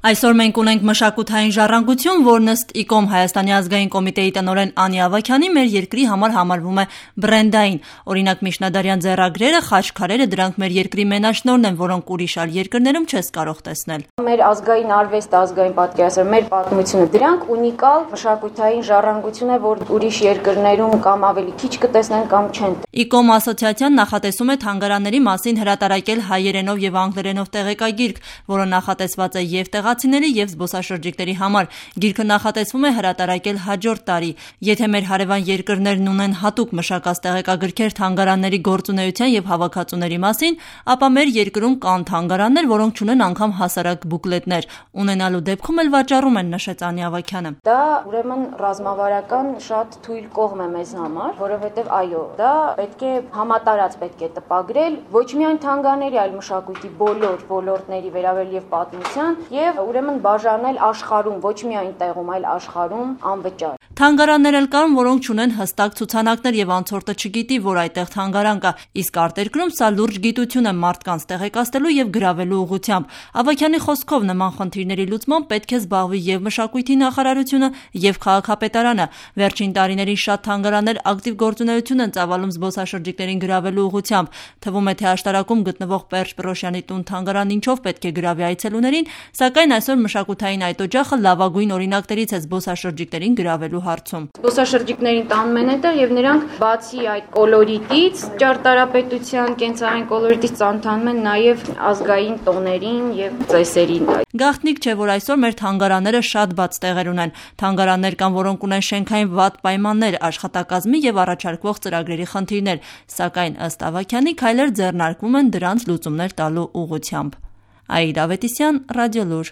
Այսօր մենք ունենք մշակութային ժառանգություն, որն ըստ ԻԿՕՄ Հայաստանի ազգային կոմիտեի տնօրեն Անի Ավագյանի մեր երկրի համար համարվում է բրենդային։ Օրինակ միջնադարյան ձեռագրերը, խաչքարերը դրանք մեր երկրի մենաշնորհն են, որոնք ուրիշ այլ երկրներում չես կարող տեսնել։ Մեր ազգային արվեստը, ազգային պատկերասրահը, մեր պատմությունը, դրանք ունիկալ մշակութային ժառանգություն է, որ ուրիշ երկրներում կամ ավելի քիչ կտեսնեն կամ չեն։ ԻԿՕՄ ասոցիացիան նախատեսում է թանգարանների մասին հրատարակել հայերենով եւ անգլերենով տեղեկագիրք, որը նախատեսված է եւ տեղացիների եւ զբոսաշրջիկների համար։ Գիրքը նախատեսվում է հրատարակել հաջորդ տարի։ Եթե մեր հարևան երկրներն ունեն հատուկ մշակած տեղեկագրքեր թանգարանների գործունեության եւ հավաքածուների մասին, ապա մեր երկրում կան թանգարաններ, որոնք չունեն անգամ հասարակ բուկլետներ։ Ունենալու դեպքում էլ վաճառում են, նշեց Անի Ավագյանը։ Դա ուրեմն ռազմավարական շատ թույլ կողմ է մեզ համար, որովհետեւ այո, դա պետք է համատարած պետք է տպագրել ոչ միայն թանգարանների, այլ մշակույթի բոլոր ոլորտների վերաբերյալ եւ պատմության եւ ուրեմն բաժանել աշխարհում, ոչ միայն տեղում, այլ աշխարհում անվճար։ Թանգարաններ էլ կան, որոնք չունեն հստակ ցուցանակներ եւ անցորդը չգիտի, որ այդտեղ թանգարան կա, իսկ արտերկրում սա լուրջ գիտություն է մարդկանց տեղեկացնելու եւ գրավելու ուղղությամբ։ Ավագյանի խոսքով նման խնդիրների լուծմամբ պետք է զբաղվի եւ մշակույթի նախարարությունը եւ քաղաքապետարանը։ Վերջին տարիներին շատ թանգարաններ ակտիվ գործունեություն են ծավալում զբոսաշրջիկներին գրավելու ուղղությամբ։ Թվում է, թե աշտարակում գտնվող Պերճ Պռոշյանի տուն թանգարան ինչով պետք է գրավի այցելուներին, սակայն այսօր մշակութային այդ օջախը լավագույն օրինակներից է զբոսաշրջիկներին գրավելու հարցում։ Զբոսաշրջիկներին տանում են այդտեղ եւ նրանք բացի այդ կոլորիտից, ճարտարապետության, կենցաղային կոլորիտից ծանոթանում են նաեւ ազգային տոներին եւ ծեսերին։ Գաղտնիք չէ, որ այսօր մեր թանգարանները շատ բաց տեղեր ունեն։ Թանգարաններ կան, որոնք ունեն շենքային վատ պայմաններ, աշխատակազմի եւ առաջարկվող ծրագրերի խնդիրներ, սակայն ըստ Ավագյանի քայլեր ձեռնարկվում են դրանց լուծումներ տալու ուղղությամբ։ Աիդա Ավետիսյան, Ռադիոլուր։